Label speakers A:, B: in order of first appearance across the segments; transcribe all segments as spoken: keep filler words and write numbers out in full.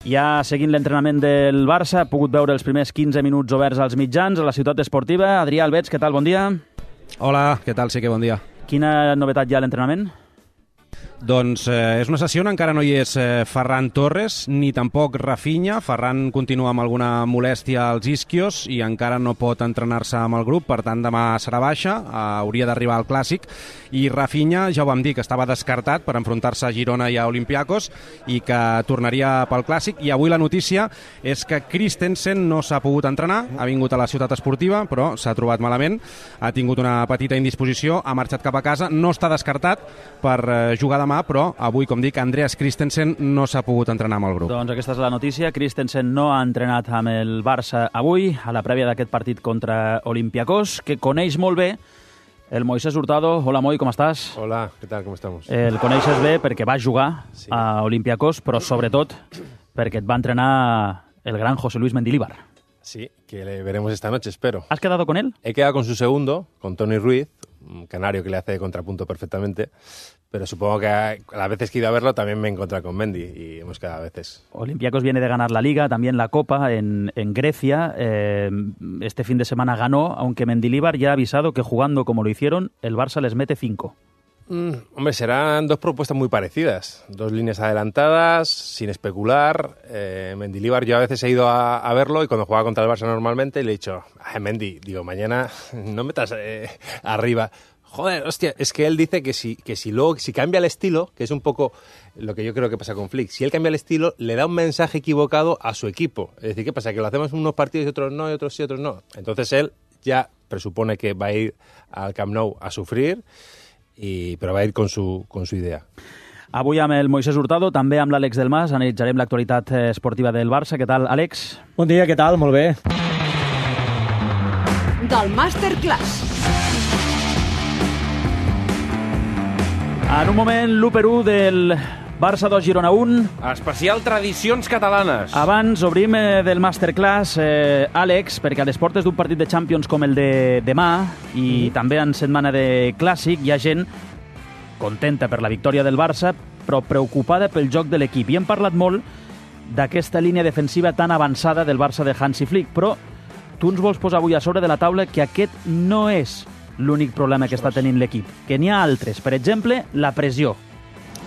A: Ja seguint l'entrenament del Barça, ha pogut veure els primers quinze minuts oberts als mitjans a la ciutat esportiva. Adrià Albets, què tal? Bon dia.
B: Hola, què tal? Sí que bon dia.
A: Quina novetat hi ha a l'entrenament?
B: Doncs eh, és una sessió on encara no hi és eh, Ferran Torres ni tampoc Rafinha. Ferran continua amb alguna molèstia als isquios i encara no pot entrenar-se amb el grup, per tant demà serà baixa, eh, hauria d'arribar al Clàssic. I Rafinha, ja ho vam dir, que estava descartat per enfrontar-se a Girona i a Olympiacos i que tornaria pel Clàssic. I avui la notícia és que Christensen no s'ha pogut entrenar, ha vingut a la ciutat esportiva però s'ha trobat malament, ha tingut una petita indisposició, ha marxat cap a casa, no està descartat per eh, jugar demà, però avui, com dic, Andreas Christensen no s'ha pogut entrenar amb el grup.
A: Doncs aquesta és la notícia. Christensen no ha entrenat amb el Barça avui, a la prèvia d'aquest partit contra Olympiacos, que coneix molt bé el Moisés Hurtado. Hola, Moi, com estàs?
C: Hola, ¿qué tal? ¿Cómo estamos?
A: El coneixes bé perquè va jugar
C: sí.
A: a Olympiacos, però sobretot perquè et va entrenar el gran José Luis Mendilibar.
C: Sí, que le veremos esta noche, espero.
A: ¿Has quedado con él?
C: He quedado con su segundo, con Toni Ruiz, un canario que le hace de contrapunto perfectamente, pero supongo que a las veces que he ido a verlo también me he encontrado con Mendy y hemos quedado a veces.
A: Olympiacos viene de ganar la Liga, también la Copa en, en Grecia. Eh, este fin de semana ganó, aunque Mendilibar ya ha avisado que jugando como lo hicieron, el Barça les mete cinco.
C: Mm, hombre, serán dos propuestas muy parecidas, dos líneas adelantadas, sin especular. Eh, Mendilibar, yo a veces he ido a, a verlo y cuando jugaba contra el Barça normalmente le he dicho, ay, Mendy, digo, mañana no metas eh, arriba. Joder, hostia, es que él dice que si, que si luego, si cambia el estilo, que es un poco lo que yo creo que pasa con Flick, si él cambia el estilo, le da un mensaje equivocado a su equipo. Es decir, ¿qué pasa? Que lo hacemos en unos partidos y otros no, y otros sí, otros no. Entonces él ya presupone que va a ir al Camp Nou a sufrir, i, però va a ir con su, con su idea.
A: Avui amb el Moisés Hurtado, també amb l'Àlex Delmas, analitzarem l'actualitat esportiva del Barça. Què tal, Àlex?
D: Bon dia, què tal? Molt bé.
E: Del Masterclass.
A: En un moment, l'u per u del Barça dos, Girona un.
F: Especial Tradicions Catalanes.
A: Abans obrim eh, del Masterclass, eh, Àlex, perquè a les portes d'un partit de Champions com el de demà i mm. també en setmana de Clàssic hi ha gent contenta per la victòria del Barça, però preocupada pel joc de l'equip. I hem parlat molt d'aquesta línia defensiva tan avançada del Barça de Hansi Flick, però tu ens vols posar avui a sobre de la taula que aquest no és l'únic problema que està tenint l'equip, que n'hi ha altres. Per exemple, la pressió.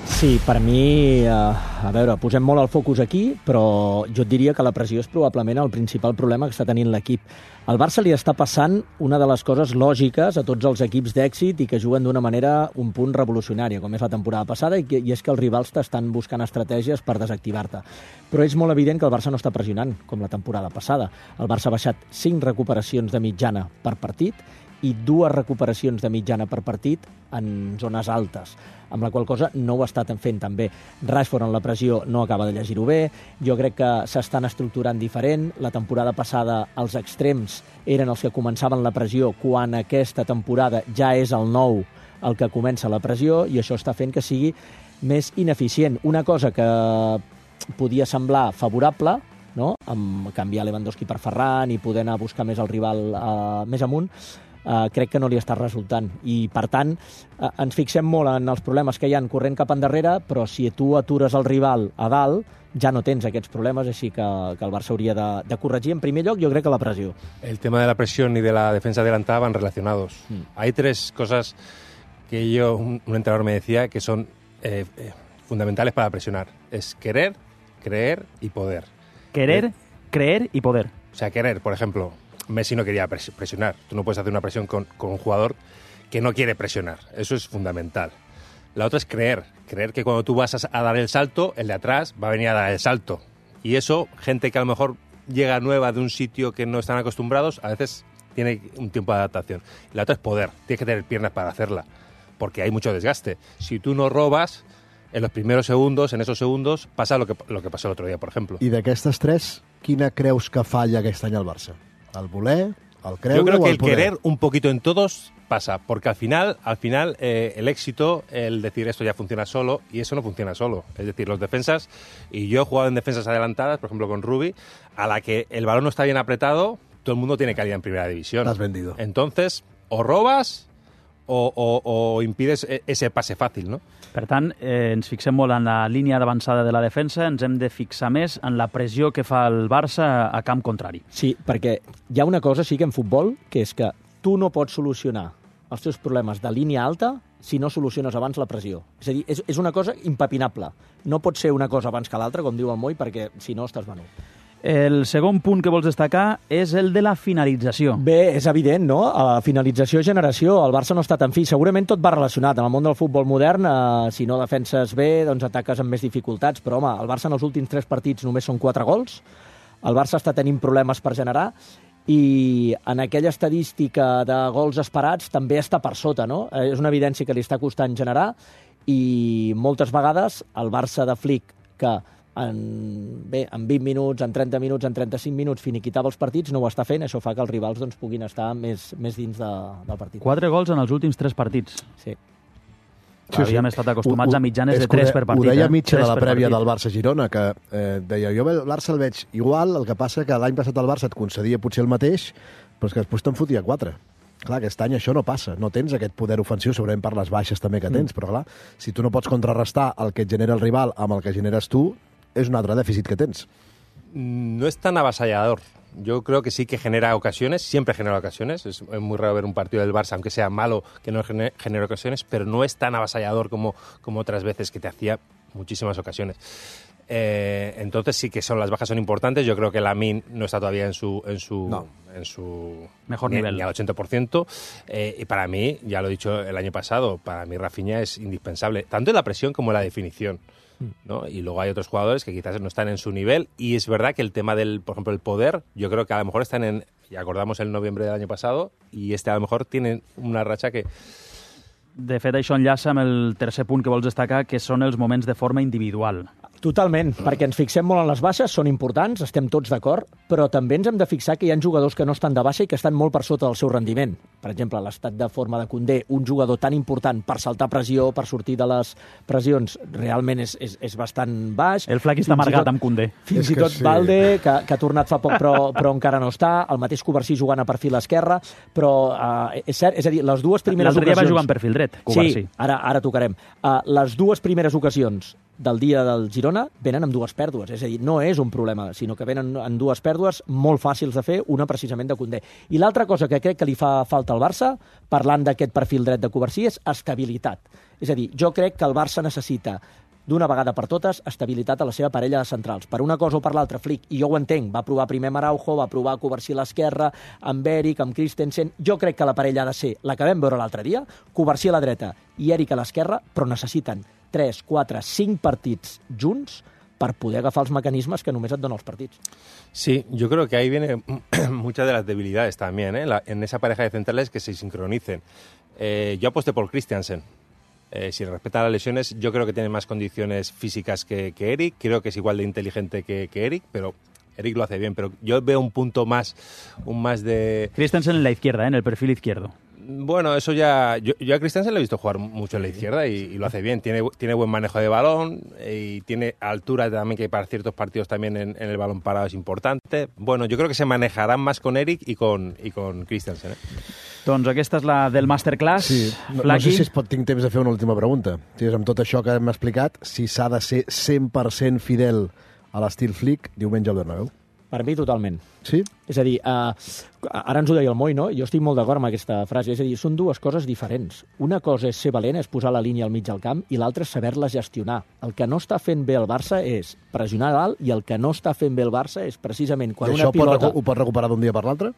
D: Sí, per mi, eh, a veure, posem molt el focus aquí, però jo et diria que la pressió és probablement el principal problema que està tenint l'equip. Al Barça li està passant una de les coses lògiques a tots els equips d'èxit i que juguen d'una manera un punt revolucionària, com és la temporada passada, i, que, i és que els rivals t'estan buscant estratègies per desactivar-te. Però és molt evident que el Barça no està pressionant, com la temporada passada. El Barça ha baixat cinc recuperacions de mitjana per partit i dues recuperacions de mitjana per partit en zones altes, amb la qual cosa no ho ha estat fent tan bé. Rashford en la pressió no acaba de llegir-ho bé, jo crec que s'estan estructurant diferent. La temporada passada els extrems eren els que començaven la pressió, quan aquesta temporada ja és el nou el que comença la pressió, i això està fent que sigui més ineficient. Una cosa que podia semblar favorable, no?, amb canviar Lewandowski per Ferran i poder anar a buscar més el rival eh, més amunt, Uh, crec que no li està resultant, i per tant uh, ens fixem molt en els problemes que hi ha corrent cap endarrere, però si tu atures el rival a dalt ja no tens aquests problemes, així que, que el Barça hauria de, de corregir en primer lloc, jo crec que la pressió.
C: El tema de la presión y de la defensa adelantada van relacionados. Mm. Hay tres cosas que yo, un, un entrenador me decía que son eh, eh, fundamentales para presionar. Es querer, creer y poder.
A: Querer,
C: eh,
A: creer y poder.
C: O sea, querer, por ejemplo, Messi no quería presionar. Tú no puedes hacer una presión con, con un jugador que no quiere presionar. Eso es fundamental. La otra es creer. Creer que cuando tú vas a, a dar el salto, el de atrás va a venir a dar el salto. Y eso, gente que a lo mejor llega nueva de un sitio que no están acostumbrados, a veces tiene un tiempo de adaptación. La otra es poder. Tienes que tener piernas para hacerla, porque hay mucho desgaste. Si tú no robas, en los primeros segundos, en esos segundos, pasa lo que, lo que pasó el otro día, por ejemplo.
G: I d'aquestes tres, quina creus que falla aquest any al Barça? ¿Al voler, al creure?
C: Yo creo
G: o
C: que
G: al
C: el
G: poder?
C: querer un poquito en todos pasa, porque al final, al final eh, el éxito, el decir esto ya funciona solo, y eso no funciona solo. Es decir, los defensas, y yo he jugado en defensas adelantadas, por ejemplo con Rubi, a la que el balón no está bien apretado, todo el mundo tiene calidad en primera división.
G: T'has vendido.
C: Entonces, o robas o, o, o impides ese pase fácil, ¿no?
A: Per tant, eh, ens fixem molt en la línia d'avançada de la defensa, ens hem de fixar més en la pressió que fa el Barça a camp contrari.
D: Sí, perquè hi ha una cosa, sí que en futbol, que és que tu no pots solucionar els teus problemes de línia alta si no soluciones abans la pressió. És a dir, és, és una cosa impepinable. No pot ser una cosa abans que l'altra, com diu el Moi, perquè si no estàs venut.
A: El segon punt que vols destacar és el de la finalització.
D: Bé, és evident, no? A finalització, generació, el Barça no està tan fi. Segurament tot va relacionat. En el món del futbol modern, eh, si no defenses bé, doncs ataques amb més dificultats. Però, home, el Barça en els últims tres partits només són quatre gols. El Barça està tenint problemes per generar i en aquella estadística de gols esperats també està per sota, no? Eh, és una evidència que li està costant generar i moltes vegades el Barça de Flick, que en, bé, en vint minuts, en trenta minuts, en trenta-cinc minuts finiquitava els partits, no ho està fent, això fa que els rivals doncs, puguin estar més, més dins de, del partit.
A: Quatre gols en els últims tres partits.
D: Sí.
A: Sí, Havíem sí. estat acostumats a mitjanes de tres per partit.
G: Ho deia
A: eh?
G: mitja de la prèvia del Barça-Girona, que eh, deia, jo el Barça el veig igual, el que passa que l'any passat el Barça et concedia potser el mateix, però és que després te'n fotia quatre. Clar, aquest any això no passa, no tens aquest poder ofensiu, segurament per les baixes també que tens, mm. però clar, si tu no pots contrarrestar el que et genera el rival amb el que generes tu, és un altre dèficit que tens.
C: No es tan avasallador. Yo creo que sí que genera ocasiones, siempre genera ocasiones. Es muy raro ver un partido del Barça, aunque sea malo, que no genere, genere ocasiones, pero no es tan avasallador como, como otras veces que te hacía muchísimas ocasiones. Eh, entonces sí que son las bajas son importantes. Yo creo que Lamine no está todavía en su en su
A: no.
C: en su
A: mejor
C: ni,
A: nivel,
C: ni al ochenta por ciento. Eh, y para mí, ya lo he dicho el año pasado, para mí Rafinha es indispensable, tanto en la presión como en la definición, ¿no? Y luego hay otros jugadores que quizás no están en su nivel, y es verdad que el tema del, por ejemplo, el poder, yo creo que a lo mejor están en, y acordamos el noviembre del año pasado, y este a lo mejor tienen una racha que...
A: De fet, això enllaça amb el tercer punt que vols destacar, que són els moments de forma individual.
D: Totalment, perquè ens fixem molt en les baixes, són importants, estem tots d'acord, però també ens hem de fixar que hi ha jugadors que no estan de baixa i que estan molt per sota del seu rendiment. Per exemple, l'estat de forma de Koundé, un jugador tan important per saltar pressió, per sortir de les pressions, realment és, és, és bastant baix.
A: El Flaqui està amargat amb Koundé.
D: Fins i tot sí. Valde, que, que ha tornat fa poc però, però encara no està, el mateix Covarsí jugant a perfil esquerre, però uh, és cert, és a dir, les dues primeres
A: ocasions... L'altre dia va jugar en perfil dret, Covarsí.
D: Sí, ara, ara tocarem. Uh, les dues primeres ocasions del dia del Girona venen amb dues pèrdues. És a dir, no és un problema, sinó que venen amb dues pèrdues molt fàcils de fer, una precisament de Koundé. I l'altra cosa que crec que li fa falta al Barça, parlant d'aquest perfil dret de Covarsí, és estabilitat. És a dir, jo crec que el Barça necessita d'una vegada per totes estabilitat a la seva parella de centrals. Per una cosa o per l'altra, Flick, i jo ho entenc, va provar primer amb Araujo, va provar Covarsí a l'esquerra, amb Eric, amb Christensen. Jo crec que la parella ha de ser la que vam veure l'altre dia, Covarsí a la dreta i Eric a l'esquerra, però necessiten tres, quatre, cinc partits junts per poder agafar els mecanismes que només et donen els partits.
C: Sí, yo creo que ahí viene muchas de las debilidades también, ¿eh? La, en esa pareja de centrales que se sincronicen. Eh, yo aposté por Christiansen. Eh, si respeta las lesiones, yo creo que tiene más condiciones físicas que, que Eric. Creo que es igual de inteligente que, que Eric, pero Eric lo hace bien. Pero yo veo un punto más, un más de...
A: Christensen en la izquierda, ¿eh? En el perfil izquierdo.
C: Bueno, eso ya... Yo, yo a Christensen le he visto jugar mucho en la izquierda y, y lo hace bien. Tiene, tiene buen manejo de balón y tiene altura también, que para ciertos partidos también en, en el balón parado es importante. Bueno, yo creo que se manejarán más con Eric y con, i con Christensen. Eh?
A: Doncs aquesta és la del Masterclass.
G: Sí. No, no sé si es pot, tinc temps de fer una última pregunta. Si és amb tot això que hem explicat, si s'ha de ser cent per cent fidel a l'estil Flick diumenge al Bernabéu.
D: Per mi, totalment.
G: Sí?
D: És a dir, uh, ara ens ho deia el Moi, no? Jo estic molt d'acord amb aquesta frase. És a dir, són dues coses diferents. Una cosa és ser valent, és posar la línia al mig del camp, i l'altra és saber-la gestionar. El que no està fent bé el Barça és pressionar dalt, i el que no està fent bé el Barça és precisament quan
G: I
D: una
G: això
D: pilota...
G: Pot, ho pot recuperar d'un dia per l'altre?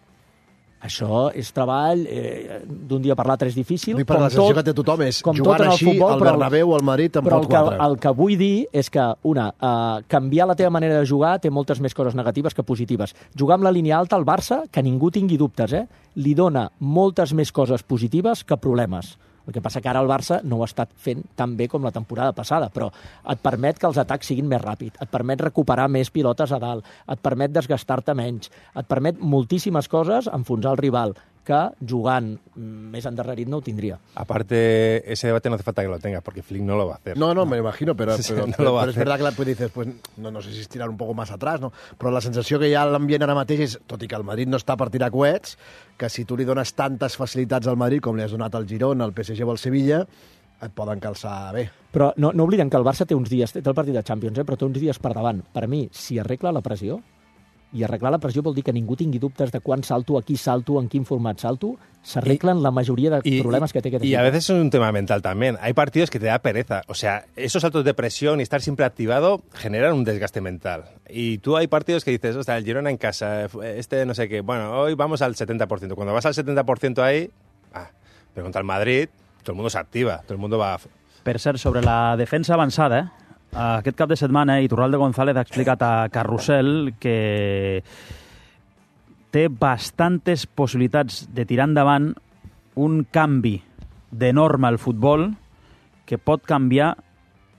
D: Això és treball, eh, d'un dia per l'altre és difícil.
G: Dic, per la sensació que té tothom és jugant així, futbol, al Bernabéu o al Madrid en pot quatre.
D: Però el que vull dir és que, una, eh, canviar la teva manera de jugar té moltes més coses negatives que positives. Jugar amb la línia alta al Barça, que ningú tingui dubtes, eh, li dona moltes més coses positives que problemes. El que passa que ara el Barça no ho ha estat fent tan bé com la temporada passada, però et permet que els atacs siguin més ràpids, et permet recuperar més pilotes a dalt, et permet desgastar-te menys, et permet moltíssimes coses enfonsar el rival, que jugant més endarrerit no ho tindria.
C: Aparte, ese debate no hace falta que lo tengas, porque Flick no lo va a hacer.
G: No, no, me imagino, pero,
C: Sí,
G: pero,
C: no
G: pero,
C: lo va a
G: pero es
C: hacer.
G: verdad que después dices, pues no, no sé si estirar un poco más atrás, no? Però la sensació que hi ha a l'ambient ara mateix és, tot i que el Madrid no està per tirar coets, que si tu li dones tantes facilitats al Madrid com li has donat al Girona, al P S G o al Sevilla, et poden calçar bé.
D: Però no, no oblidem que el Barça té uns dies, té el partit de Champions, eh, però té uns dies per davant. Per mi, si arregla la pressió, i arreglar la pressió vol dir que ningú tingui dubtes de quan salto, a qui salto, en quin format salto, s'arreglen la mayoría de
C: y,
D: problemas que té aquest
C: equipo. Y a veces es un tema mental también. Hay partidos que te da pereza. O sea, esos saltos de presión y estar siempre activado generan un desgaste mental. Y tú hay partidos que dices, o sea, el Girona en casa, este no sé qué, bueno, hoy vamos al setenta por ciento. Cuando vas al setenta por ciento ahí, ah, pero contra el Madrid, todo el mundo se activa, todo el mundo va...
A: Per cert, sobre la defensa avançada, eh? Aquest cap de setmana, Iturralde González ha explicat a Carrusel que té bastantes possibilitats de tirar endavant un canvi de norma al futbol que pot canviar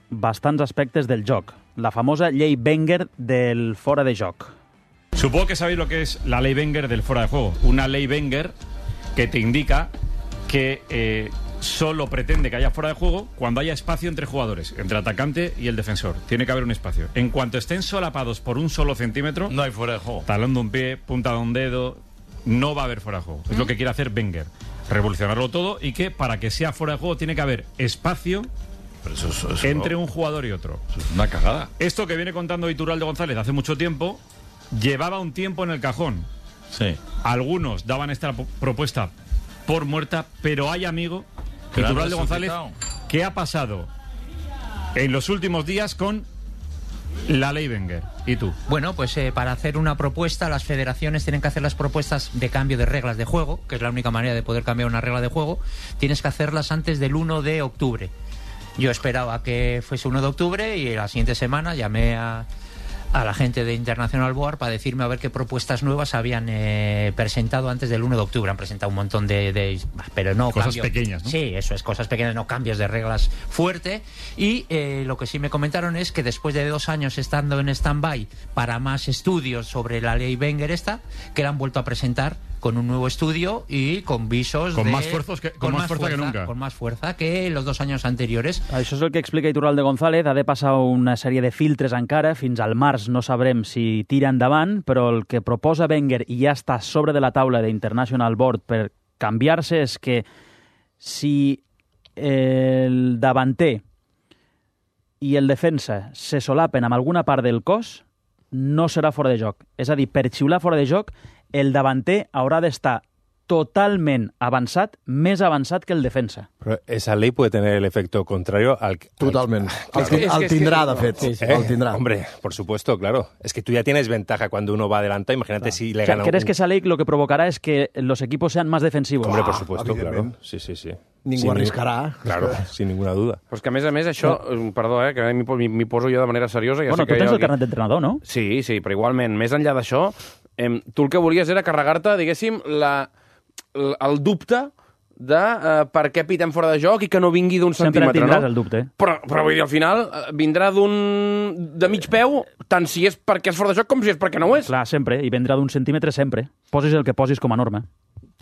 A: bastants aspectes del joc. La famosa llei Wenger del fora de joc.
H: Supongo que sabéis lo que es la ley Wenger del fuera de juego. Una ley Wenger que te indica que... Eh, solo pretende que haya fuera de juego cuando haya espacio entre jugadores, entre el atacante y el defensor. Tiene que haber un espacio. En cuanto estén solapados por un solo centímetro,
F: no hay fuera de juego.
H: Talón de un pie, punta de un dedo, no va a haber fuera de juego. Es lo que quiere hacer Wenger. Revolucionarlo todo y que para que sea fuera de juego tiene que haber espacio
F: Pero eso, eso, eso
H: entre
F: no.
H: un jugador y otro.
F: Eso es una cagada.
H: Esto que viene contando Iturralde González hace mucho tiempo, llevaba un tiempo en el cajón.
F: Sí.
H: Algunos daban esta propuesta por muerta, pero hay, amigo, Iturralde González, ¿qué ha pasado en los últimos días con la ley Wenger? ¿Y tú?
I: Bueno, pues eh, para hacer una propuesta, las federaciones tienen que hacer las propuestas de cambio de reglas de juego, que es la única manera de poder cambiar una regla de juego. Tienes que hacerlas antes del uno de octubre. Yo esperaba que fuese uno de octubre y la siguiente semana llamé a... a la gente de International Board para decirme a ver qué propuestas nuevas habían eh, presentado antes del uno de octubre. Han presentado un montón de... de pero no
H: cosas
I: cambios,
H: pequeñas, ¿no?
I: Sí, eso es, cosas pequeñas, no cambios de reglas fuerte. Y eh, lo que sí me comentaron es que después de dos años estando en stand-by para más estudios sobre la ley Wenger esta, que la han vuelto a presentar con un nuevo estudio y con visos
H: con
I: de...
H: Más fuerzos que, con, con más, más fuerza, fuerza que nunca.
I: Con más fuerza que los dos años anteriores.
A: Això és el que explica Iturralde González. Ha de passar una sèrie de filtres encara. Fins al març no sabrem si tira endavant, però el que proposa Wenger i ja està sobre de la taula d'International Board per canviar-se és que si el davanter i el defensa se solapen amb alguna part del cos, no serà fora de joc. És a dir, per xiular fora de joc, el davanter haurà d'estar totalment avançat, més avançat que el defensa.
C: Pero esa ley puede tener el efecto contrario al...
G: Totalment.
C: Al,
G: el, el, el tindrà, de fet.
C: Sí, sí.
G: El tindrà.
C: Hombre, por supuesto, claro. Es que tú ya tienes ventaja cuando uno va adelante. Imagínate claro. si le gana...
A: ¿Crees
C: un...
A: que esa ley lo que provocará es que los equipos sean más defensivos?
C: Hombre, por supuesto, claro. Sí, sí, sí.
G: Ningú arriscarà.
C: Claro, sin ninguna duda.
F: Però és que, a més a més, això... No. Perdó, eh, que m'hi poso jo de manera seriosa. Ja
A: bueno,
F: sé que
A: tu tens
F: el
A: el carnet d'entrenador, no?
F: Sí, sí, però igualment, més enllà d'això, eh, tu el que volies era carregar-te, diguéssim, la, el dubte de uh, per què pitem fora de joc i que no vingui d'un centímetre, no?
A: Sempre tindràs el dubte.
F: Però, però vull dir, al final vindrà d'un... de mig peu, tant si és perquè és fora de joc com si és perquè no ho és.
A: Clar, sempre, i vindrà d'un centímetre sempre. Posis el que posis com a norma.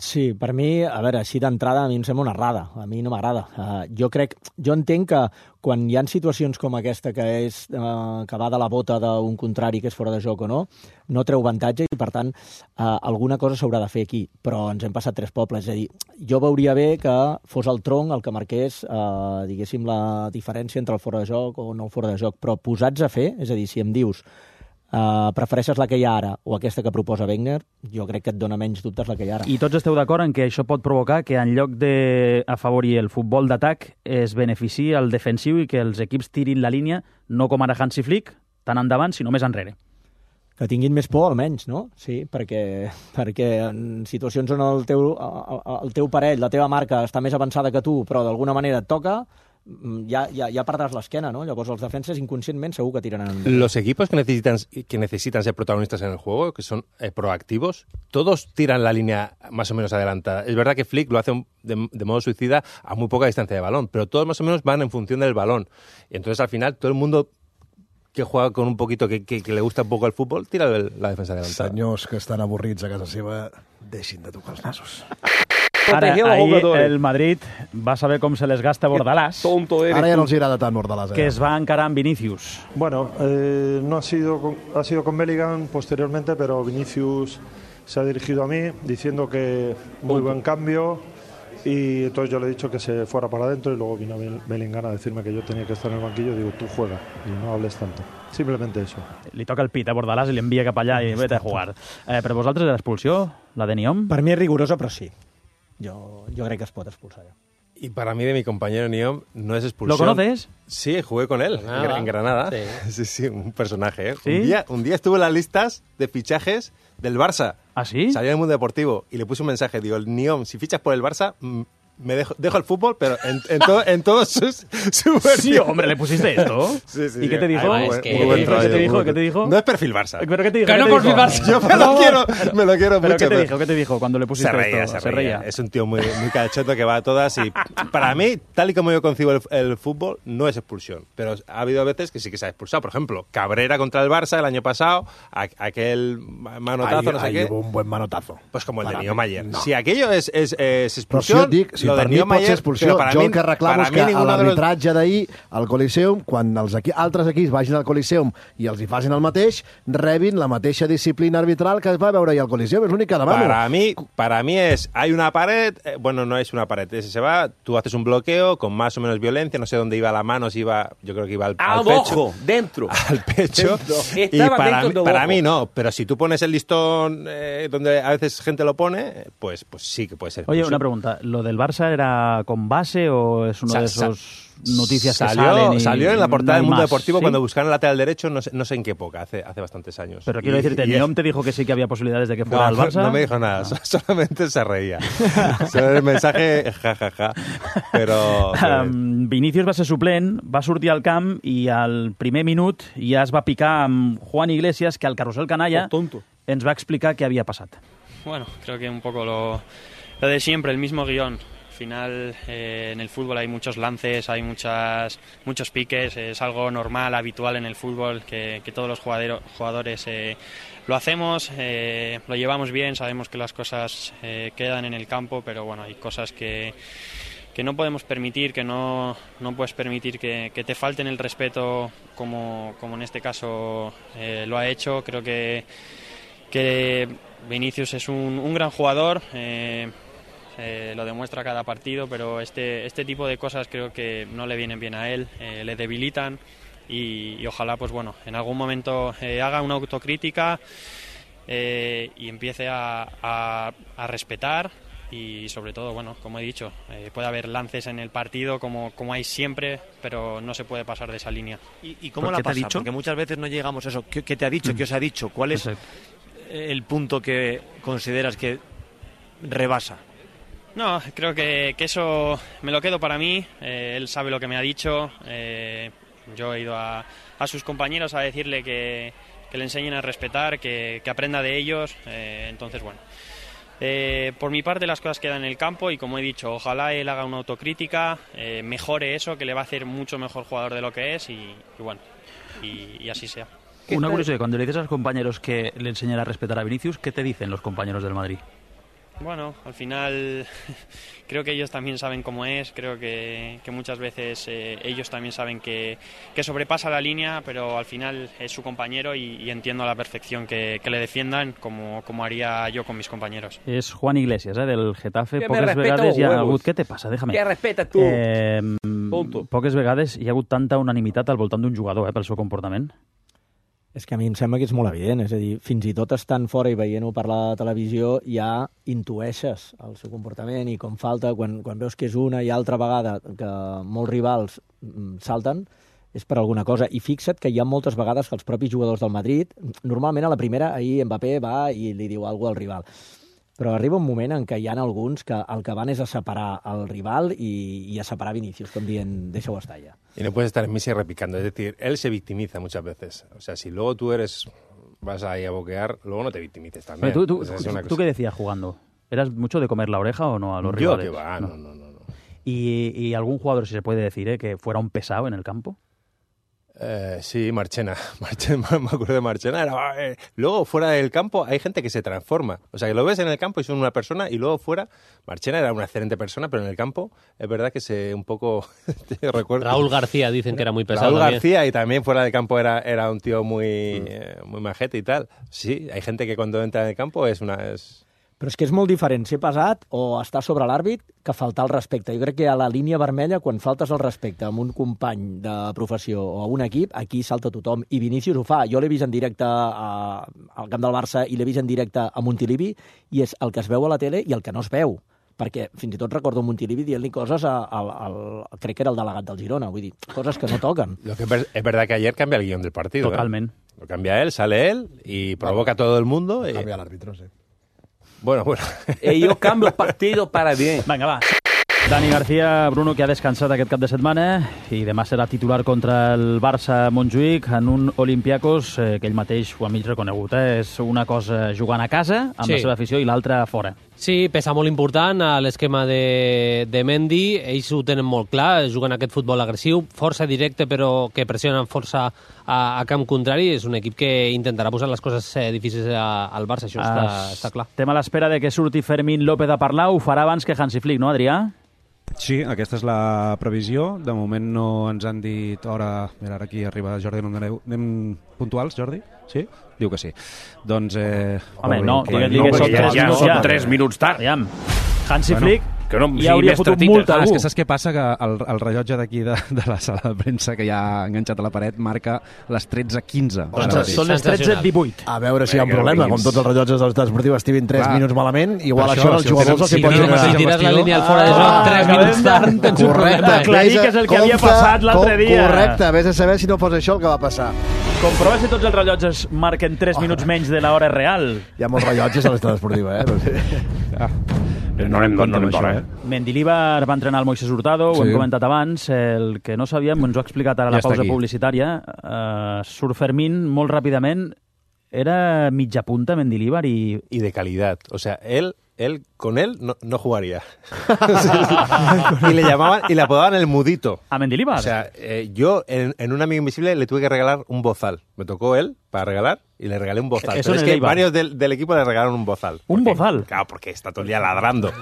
D: Sí, per mi, a veure, així d'entrada a mi em sembla una errada, a mi no m'agrada. Uh, jo crec, jo entenc que quan hi ha situacions com aquesta que és uh, que va de la bota d'un contrari que és fora de joc o no, no treu avantatge i per tant uh, alguna cosa s'haurà de fer aquí, però ens hem passat tres pobles, és a dir, jo veuria bé que fos el tronc el que marqués, uh, diguéssim, la diferència entre el fora de joc o no el fora de joc, però posats a fer, és a dir, si em dius Uh, prefereixes la que hi ha ara o aquesta que proposa Wenger, jo crec que et dona menys dubtes la que hi ha ara.
A: I tots esteu d'acord en que això pot provocar que en lloc d'afavorir el futbol d'atac es beneficiï el defensiu i que els equips tirin la línia no com ara Hansi Flick, tant endavant, sinó més enrere.
D: Que tinguin més por, almenys, no? Sí, perquè, perquè en situacions on el teu, el teu parell, la teva marca està més avançada que tu, però d'alguna manera et toca, ya, ya, ya perdràs l'esquena, ¿no? Llavors els defenses inconscientment segur que tiraran endavant.
C: Los equipos que necesitan, que necesitan ser protagonistas en el juego, que son eh, proactivos, todos tiran la línea más o menos adelantada. Es verdad que Flick lo hace un, de, de modo suicida a muy poca distancia de balón, pero todos más o menos van en función del balón. Y entonces al final todo el mundo que juega con un poquito, que, que, que le gusta un poco el fútbol, tira el, la defensa adelantada.
G: Senyors que estan avorrits a casa seva, deixin de tocar els nassos.
A: Ara, ahir el Madrid va saber com se les gasta Bordalás.
G: Ara ja no els agrada tant Bordalás. Eh?
A: Que es va encarar amb Vinicius.
J: Bueno, eh, no ha sido, con, ha sido con Bellingham posteriormente, pero Vinicius se ha dirigido a mí diciendo que muy buen cambio, Y entonces yo le he dicho que se fuera para adentro y luego vino Bellingham a decirme que yo tenía que estar en el banquillo. Digo, tú juega y no hables tanto. Simplemente eso.
A: Li toca el pit a Bordalàs i l'envia cap allà i vete a jugar. Eh, per vosaltres l'expulsió, la de Niom?
D: Per mi és rigorosa, però sí. Jo, jo crec que es pot expulsar. Ja.
C: Y para mí, de mi compañero Niom, no es expulsión.
A: ¿Lo conoces?
C: Sí, jugué con él
F: Granada.
C: en Granada.
F: Sí.
C: sí, sí, un personaje. ¿eh?
A: ¿Sí?
C: Un, día, un día estuve en las listas de fichajes del Barça.
A: ¿Ah, sí?
C: Salió en el Mundo Deportivo y le puse un mensaje. Digo, Niom, si fichas por el Barça, mm, me dejo, dejo el fútbol, pero en, en, to, en todos sus, su
A: Sí, hombre, ¿le pusiste esto?
C: Sí, sí.
A: ¿Y qué te dijo?
C: Ay,
F: es que-
C: muy buen
A: ¿Qué te
C: trabajo,
A: dijo?
C: muy
A: ¿Qué te
C: buen-
A: dijo?
C: No es perfil Barça.
A: ¿Pero qué te dijo?
F: Que
A: ¿Qué
F: no
A: te
F: por
A: dijo?
F: mi Barça.
C: Yo me lo quiero, me lo quiero
A: ¿Pero
C: mucho.
A: qué te dijo? ¿Qué te dijo cuando le pusiste
C: Se reía,
A: esto?
C: se reía. Es un tío muy, muy cachoto que va a todas y para mí, tal y como yo concibo el, el fútbol, no es expulsión. Pero ha habido veces que sí que se ha expulsado. Por ejemplo, Cabrera contra el Barça el año pasado, a, aquel manotazo,
G: Ahí,
C: no sé
G: ahí
C: qué.
G: hubo un buen manotazo.
C: Pues como el
G: Para
C: de
G: mí,
C: Niom ayer.
G: no.
C: Si aquello es, es, es
G: Però si jo
C: expulsión,
G: et dic, si
C: lo de
G: per mi
C: Niom
G: pot ser
C: ayer,
G: expulsió,
C: pero para
G: jo
C: mí,
G: el que reclamo
C: para
G: és
C: mí
G: que a
C: ninguno de los...
G: l'arbitratge d'ahir al Coliseum, quan els equi altres equips vagin al Coliseum i els hi facin el mateix, rebin la mateixa disciplina arbitral que es va veure ahir al Coliseum. És l'únic que demano.
C: Para mí, para mí es, hay una pared, eh, bueno, no es una pared, es- se va, tú haces un bloqueo con más o menos violencia, no sé dónde iba la mano, si iba, yo creo que iba al, al pecho.
F: Abajo, dentro.
C: Al pecho. Y
F: Estaba
C: para,
F: dentro
C: mí,
F: de
C: para
F: abajo.
C: mí no, pero si tú pones el listón eh, donde a veces gente lo pone, pues, pues sí que puede ser.
A: Oye,
C: expulsión.
A: una pregunta. ¿Lo del Barça era con base o es uno
C: Sa-
A: de
C: sa-
A: esos noticias que
C: salió,
A: salen? Y
C: salió en la portada
A: no
C: del
A: hay
C: Mundo
A: más,
C: Deportivo
A: ¿sí?
C: cuando buscaron el lateral derecho, no sé, no sé en qué época, hace, hace bastantes años.
A: Pero quiero
C: Y-
A: decirte,
C: y es-
A: Niom te dijo que sí que había posibilidades de que
C: No,
A: fuera al Barça.
C: no me dijo nada, so- solamente se reía. Solo el mensaje, jajaja. Pero... pero-
A: Um, Vinícius va ser suplent, va sortir al camp i al primer minut ja es va picar amb Juan Iglesias, que al carrusel canalla
F: Oh, tonto.
A: ens va explicar què havia passat.
K: Bueno, creo que un poco lo, lo de siempre, el mismo guión. Al final, eh, en el fútbol hay muchos lances, hay muchas, muchos piques, es algo normal, habitual en el fútbol, que, que todos los jugadero- jugadores eh, lo hacemos, eh, lo llevamos bien, sabemos que las cosas eh, quedan en el campo, pero bueno, hay cosas que, que no podemos permitir, que no, no puedes permitir que, que te falten el respeto como, como en este caso eh, lo ha hecho. Creo que, que Vinicius es un, un gran jugador, eh, eh, lo demuestra cada partido, pero este, este tipo de cosas creo que no le vienen bien a él, eh, le debilitan y, y ojalá pues bueno, en algún momento eh, haga una autocrítica eh, y empiece a, a, a respetar. Y sobre todo, bueno, como he dicho, eh, puede haber lances en el partido como, como hay siempre, pero no se puede pasar de esa línea.
L: ¿Y, y cómo
A: ¿Por
L: la
A: qué te ha
L: pasa?
A: dicho?
L: Porque muchas veces no llegamos a eso. ¿Qué, qué te ha dicho? ¿Qué os ha dicho? ¿Cuál es
A: Exacto.
L: el punto que consideras que rebasa?
K: No, creo que, que eso me lo quedo para mí. Eh, él sabe lo que me ha dicho. Eh, yo he ido a, a sus compañeros a decirle que, que le enseñen a respetar, que, que aprenda de ellos. Eh, entonces, bueno. Eh, por mi parte las cosas quedan en el campo y como he dicho, ojalá él haga una autocrítica, eh, mejore eso, que le va a hacer mucho mejor jugador de lo que es y, y bueno, y, y así sea.
A: Una curiosidad, cuando le dices a los compañeros que le enseñan a respetar a Vinicius, ¿qué te dicen los compañeros del Madrid?
K: Bueno, al final creo que ellos también saben cómo es, creo que, que muchas veces eh, ellos también saben que, que sobrepasa la línea, pero al final es su compañero y, y entiendo a la perfección que, que le defiendan como, como haría yo con mis compañeros.
A: És Juan Iglesias, eh, del Getafe.
K: Que me
A: Poques
K: respeta
A: vegades
K: los
A: hi ha
K: huevos.
A: hagut... Què te passa? Déjame.
K: Que respeta tu.
A: Eh,
K: Punto.
A: poques vegades hi ha hagut tanta unanimitat al voltant d'un jugador eh, pel seu comportament.
D: És que a mi em sembla que és molt evident, és a dir, fins i tot estant fora i veient-ho per la televisió ja intueixes el seu comportament i com falta, quan, quan veus que és una i altra vegada que molts rivals mm, salten, és per alguna cosa. I fixa't que hi ha moltes vegades que els propis jugadors del Madrid, normalment a la primera, ahir Mbappé va i li diu alguna cosa al rival. Però arriba un moment en què hi ha alguns que el que van és a separar el rival i, i a separar Vinícius, com dient, deixa-ho estar ja.
C: Y no puedes estar en Messi repicando. Es decir, él se victimiza muchas veces. O sea, si luego tú eres vas ahí a boquear, luego no te victimices también.
A: Pero tú, tú,
C: Esa es
A: tú,
C: una
A: ¿tú
C: cosa.
A: qué decías jugando? ¿Eras mucho de comer la oreja o no a los
C: Yo
A: rivales?
C: que va, no, no, no. no.
A: ¿Y, y algún jugador, si se puede decir, eh, que fuera un pesado en el campo?
C: Eh, sí, Marchena. Marchena. Me acuerdo de Marchena. Era, eh. Luego, fuera del campo, hay gente que se transforma. O sea, que lo ves en el campo y son una persona, y luego fuera, Marchena era una excelente persona, pero en el campo es verdad que se un poco... recuerdo.
M: Raúl García dicen que era muy pesado.
C: Raúl
M: también.
C: García, y también fuera del campo era, era un tío muy, mm. eh, muy majete y tal. Sí, hay gente que cuando entra en el campo es una... Es...
D: Però és que és molt diferent ser pesat o estar sobre l'àrbit que faltar el respecte. Jo crec que a la línia vermella, quan faltes el respecte amb un company de professió o a un equip, aquí salta tothom. I Vinícius ho fa. Jo l'he vist en directe a, al camp del Barça i l'he vist en directe a Montilivi i és el que es veu a la tele i el que no es veu. Perquè fins i tot recordo Montilivi dient-li coses a, a, a, a, crec que era el delegat del Girona, vull dir, coses que no toquen.
C: Lo que es verdad que ayer cambia el guión del partido.
A: Totalmente.
C: ¿eh? Lo cambia él, sale él y provoca a todo el mundo. Y...
G: Cambia el árbitro, sí.
C: Bueno, bueno.
F: Ellos cambian el partido para bien.
A: Vinga, va. Dani García, Bruno, que ha descansat aquest cap de setmana i demà serà titular contra el Barça Montjuïc en un Olympiacos eh, que ell mateix ho ha mig reconegut. Eh? És una cosa jugant a casa amb sí. la seva afició i l'altra fora.
M: Sí, peça molt important a l'esquema de, de Mendy. Ells ho tenen molt clar, juguen aquest futbol agressiu, força directe però que pressionen força a, a camp contrari. És un equip que intentarà posar les coses eh, difícils a, al Barça, això està, està clar.
A: Estem a l'espera de que surti Fermín López a parlar, ho farà abans que Hansi Flick, no, Adrià?
B: Sí, aquesta és la previsió. De moment no ens han dit hora... Mira, ara aquí arriba Jordi, no em donareu... Anem puntuals, Jordi? Sí? Diu que sí. Doncs... Eh...
A: Home, no, digues-li que són tres minuts ja.
F: tres minuts tard.
A: Aviam, Hansi bueno, Flick
F: que no
A: ja hauria fotut multa a algú.
B: Ah, és que saps què passa? Que el, el rellotge d'aquí de, de la sala de premsa que ja ha enganxat a la paret marca les tretze quinze.
A: Ostres, són les tretze divuit.
G: A veure si hi ha un problema. Com tots els rellotges de l'estat esportiu estiguin tres minuts malament, igual això, això els
M: si
G: jugadors els hi poden...
M: Si tires la línia al fora de joc tres minuts tard, tens un problema.
A: Aclarir que és el que havia passat l'altre dia.
G: Correcte, vés a saber si no fos això el que va passar.
A: Comprova si tots els rellotges marquen tres minuts menys de l'hora real.
G: Hi ha molts rellotges a l'estat esportiva, eh?
F: Ah. No anem d'on, no anem d'on, eh?
A: Mendilibar va entrenar el Moisés Hurtado, ho
B: sí.
A: hem comentat abans, el que no sabíem, ens ho ha explicat ara a la
B: ja
A: pausa publicitària, uh, surt Fermín molt ràpidament, era mitja punta Mendilibar i...
C: Y de calidad, o sea, él... Él, con él, no, no jugaría. Y le llamaban, y le apodaban el mudito.
A: ¿A Mendilibar?
C: O sea, eh, yo en, en un amigo invisible le tuve que regalar un bozal. Me tocó él para regalar y le regalé un bozal.
A: Eso
C: Pero es
A: en
C: que
A: el Eibar.
C: varios del, del equipo le regalaron un bozal.
A: ¿Un
C: Porque-
A: bozal?
C: Claro, porque está todo el día ladrando.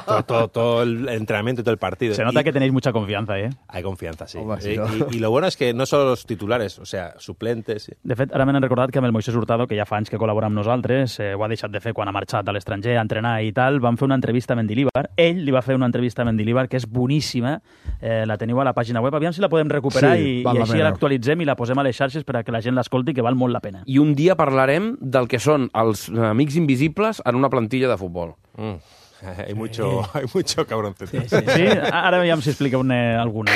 C: todo, todo, todo el entrenamiento y todo el partido.
A: Se nota
C: Y
A: que tenéis mucha confianza, eh?
C: Hay confianza, sí.
G: Home, sí,
C: Y-
G: no?
C: y, y lo bueno es que no solo los titulares, o sea, suplentes. sí.
A: De fet, ara m'han recordat que amb el Moisés Hurtado, que ja fa anys que col·labora amb nosaltres, eh, ho ha deixat de fer quan ha marxat a l'estranger a entrenar i tal, vam fer una entrevista a Mendilibar. Ell li va fer una entrevista a Mendilibar que és boníssima, eh, la teniu a la pàgina web, aviam si la podem recuperar
G: Sí,
A: i, i
G: val la
A: així
G: pena.
A: l'actualitzem i la posem a les xarxes per a que la gent l'escolti, que val molt la pena.
F: I un dia parlarem del que són els amics invisibles en una plantilla de futbol.
C: Mm. Hay mucho, hay mucho cabroncete.
A: Sí, sí. sí? Ara veiem si explica una, alguna.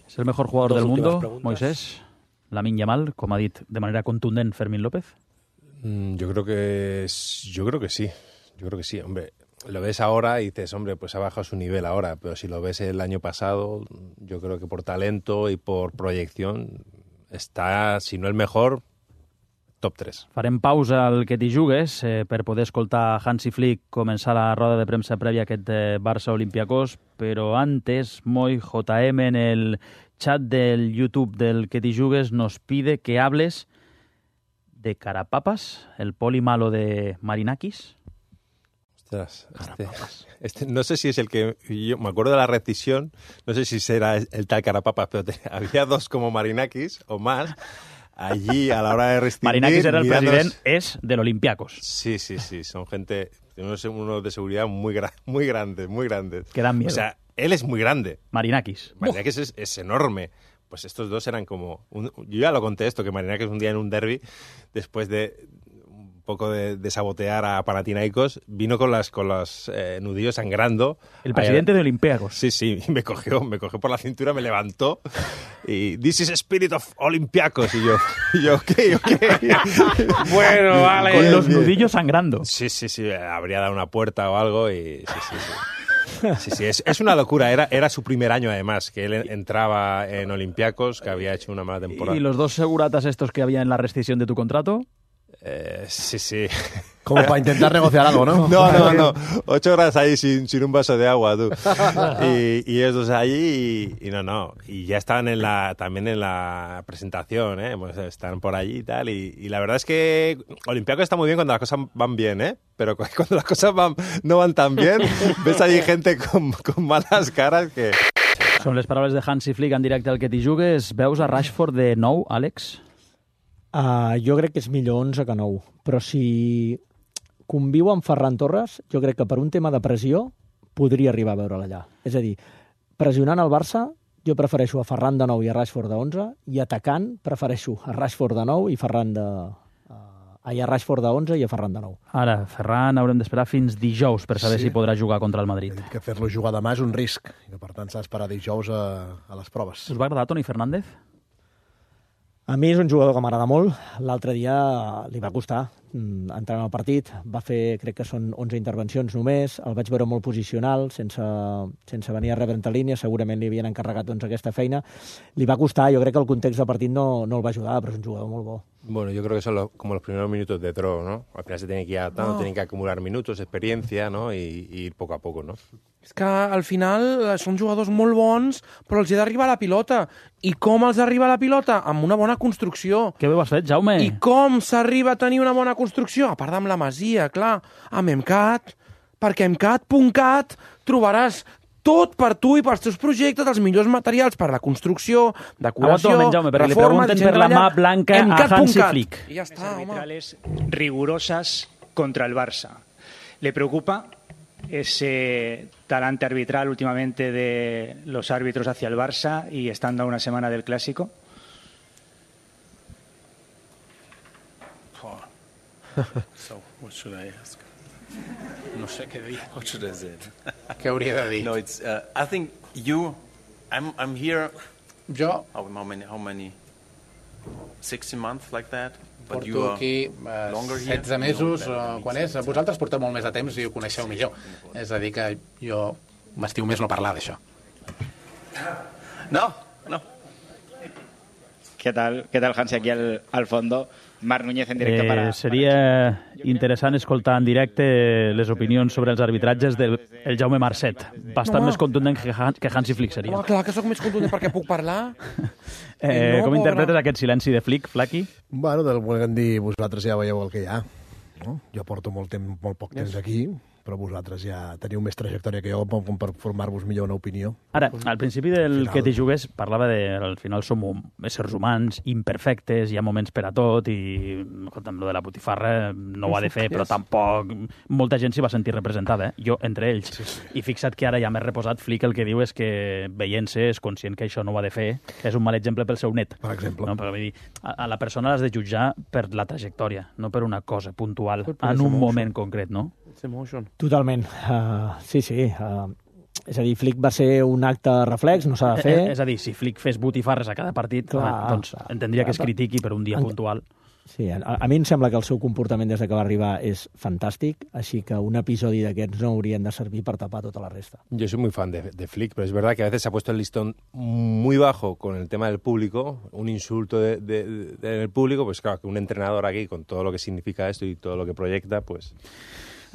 A: És el mejor jugador
L: Dos
A: del mundo,
L: últimas preguntas.
A: Moisés. Lamine Yamal, com ha dit de manera contundent Fermín López.
C: Mm, Yo creo que es- yo creo que sí. Yo creo que sí, hombre. Lo ves ahora y dices, hombre, pues ha bajado su nivel ahora, pero si lo ves el año pasado, yo creo que por talento y por proyección está, si no el mejor, top tres.
A: Farem pausa al que t'hi jugues eh, per poder escoltar Hansi Flick començar la roda de premsa prèvia a aquest eh, Barça-Olympiacos, però antes, Moi J M en el chat del YouTube del que t'hi jugues nos pide que hables de Carapapas, el poli malo de Marinakis.
C: Ostras, este, este- no sé si es el que... Yo me acuerdo de la rescisión, no sé si será el, el tal Carapapas, pero te- había dos como Marinakis o más allí a la hora de rescindir.
A: Marinakis era el
C: mirándonos-
A: president, és de l'Olympiacos.
C: Sí, sí, sí, son gente, unos, unos de seguridad muy, gra- muy grandes, muy grandes.
A: Que dan miedo.
C: O sea, él es muy grande.
A: Marinakis.
C: Marinakis es, es enorme. Pues estos dos eran como... un- yo ya lo conté esto, que Marinakis un día en un derbi, después de un poco de, de sabotear a Panathinaikos, vino con las con los eh, nudillos sangrando.
A: El presidente
C: Ahí-
A: de Olympiacos.
C: Sí, sí, y me cogió, me cogió por la cintura, me levantó y "This is spirit of Olympiacos", y yo, y yo, ok, ok.
F: Bueno, vale.
A: Con
C: Bien,
A: los
C: bien.
A: nudillos sangrando.
C: Sí, sí, sí, habría dado una puerta o algo y sí, sí, sí. Sí, sí, es, es una locura. Era, era su primer año, además, que él entraba en Olympiacos, que había hecho una mala temporada.
A: ¿Y los dos seguratas estos que había en la rescisión de tu contrato?
C: Eh, sí, sí.
G: Como para intentar negociar algo, ¿no?
C: No, no, no. Ocho horas ahí sin, sin un vaso de agua, tú. Y, y ellos dos allí y, y no, no. Y ya estaban en la, también en la presentación, ¿eh? Pues están por allí y tal. Y, y la verdad es que Olympiacos está muy bien cuando las cosas van bien, ¿eh? Pero cu- cuando las cosas van, no van tan bien, ves allí gente con, con malas caras que...
A: Són les paraules de Hansi Flick en directe al que t'hi jugues. Veus a Rashford de nou, Àlex?
D: Uh, jo crec que és millor onze que nou, però si conviu amb Ferran Torres, jo crec que per un tema de pressió podria arribar a veure'l allà. És a dir, pressionant el Barça, jo prefereixo a Ferran de nou i a Rashford de onze, i atacant prefereixo a Rashford de nou i Ferran de... Ai, a Rashford de onze i a Ferran de nou.
A: Ara, Ferran haurem d'esperar fins dijous per saber
G: Sí.
A: si podrà jugar contra el Madrid.
G: Que fer-lo jugar demà és un risc, i que per tant s'ha d'esperar dijous a, a les proves.
A: Us va agradar Toni Fernández?
D: A mi és un jugador que m'agrada molt. L'altre dia li va costar mm, entrar en el partit. Va fer, crec que són onze intervencions només. El vaig veure molt posicional, sense, sense venir a rebre entre línies. Segurament li havien encarregat doncs, aquesta feina. Li va costar. Jo crec que el context del partit no, no el va ajudar, però és un jugador molt bo.
C: Bueno, yo creo que son los, como los primeros minutos de Drogo, ¿no? Al final se tiene que ir adaptando,
F: No.
C: tienen que acumular minutos, experiencia, ¿no? Y, y ir poco a poco, ¿no?
F: És que al final eh, són jugadors molt bons, però els hi ha d'arribar la pilota. I com els arriba la pilota? Amb una bona construcció.
A: Què bé ho has fet, Jaume?
F: I com s'arriba a tenir una bona construcció? A part d'amb la Masia, clar, amb Emcat, perquè emcat punt cat trobaràs tot per tu i pels teus projectes, els millors materials per la construcció, decoració,
A: Aguanta un moment, Jaume, perquè li
F: reforma,
A: pregunten
F: disseny
A: per la
F: de llar,
A: mà blanca a
F: emcat punt
A: Hansi
F: cat.
A: Flick.
F: I ja està, home.
N: Arbitrales rigurosas contra el Barça. ¿Le preocupa ese talante arbitral últimamente de los árbitros hacia el Barça y estando a una semana del Clásico?
O: So, what should I ask? No sé què dir. What should I say?
P: Què hauria de dir?
O: No, it's. Uh, I think you. I'm. I'm here.
P: Jo
O: How, how many? How many? Sixty months like that. But you
P: porto
O: are
P: aquí eh,
O: longer here.
P: setze mesos, uh, quan és? Vosaltres porteu molt més de temps i ho coneixeu millor. És a dir, que jo m'estiu més no parlar d'això.
O: No, no.
Q: ¿Qué tal, qué tal Hansi, aquí al, al fondo? Marc Núñez en directo
A: Eh,
Q: para...
A: seria interessant escoltar en directe les opinions sobre els arbitratges del el Jaume Marcet. Bastant
F: Home.
A: més contundent que, Han, que Hansi Flick seria.
F: Home, clar que sóc més contundent perquè puc parlar.
A: Eh,
F: no,
A: com
F: pobre.
A: interpretes aquest silenci de Flick, Flaky?
G: Bueno, del volem dir, vosaltres ja veieu el que hi ha. No? Jo porto molt, temps, molt poc temps aquí, però vosaltres ja teniu més trajectòria que jo com per formar-vos millor una opinió.
A: Ara, al principi del
G: Final.
A: que t'hi jugues parlava de al final som hum- éssers humans, imperfectes, hi ha moments per a tot i, escolta'm, lo de la botifarra no ho ha de fer, però tampoc molta gent s'hi va sentir representada, eh? Jo entre ells. Sí, sí. I fixa't que ara ja més reposat Flick el que diu és que veient-se és conscient que això no ho ha de fer, que és un mal exemple pel seu net.
G: Per exemple.
A: No? Però, vull dir, a, a la persona l'has de jutjar per la trajectòria, no per una cosa puntual,
F: Per
A: en
F: ese
A: un
F: emotion.
A: moment concret, no?
F: It's emotion.
D: Totalment. Uh, sí, sí. Uh, és a dir, Flick va ser un acte reflex, no s'ha de fer.
A: Eh, és a dir, si Flick fes botifarres a cada partit,
D: Clar.
A: home, doncs entendria que es critiqui per un dia
D: En-
A: puntual.
D: Sí, a, a mi em sembla que el seu comportament des de que va arribar és fantàstic, així que un episodi d'aquests no haurien de servir per tapar tota la resta.
C: Yo soy muy fan de, de Flick, pero es verdad que a veces se ha puesto el listón muy bajo con el tema del público, un insulto de- de- de- del público, pues claro, que un entrenador aquí, con todo lo que significa esto y todo lo que proyecta, pues...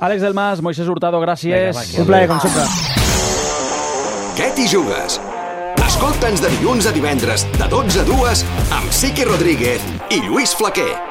A: Àlex Del Mas, Moisés Hurtado, gràcies.
C: Vinga, va,
D: Un plaer, com sempre.
R: Què t'hi jugues? Escolta'ns de dilluns a divendres, de dotze a dues, amb Siqui Rodríguez i Lluís Flaquer.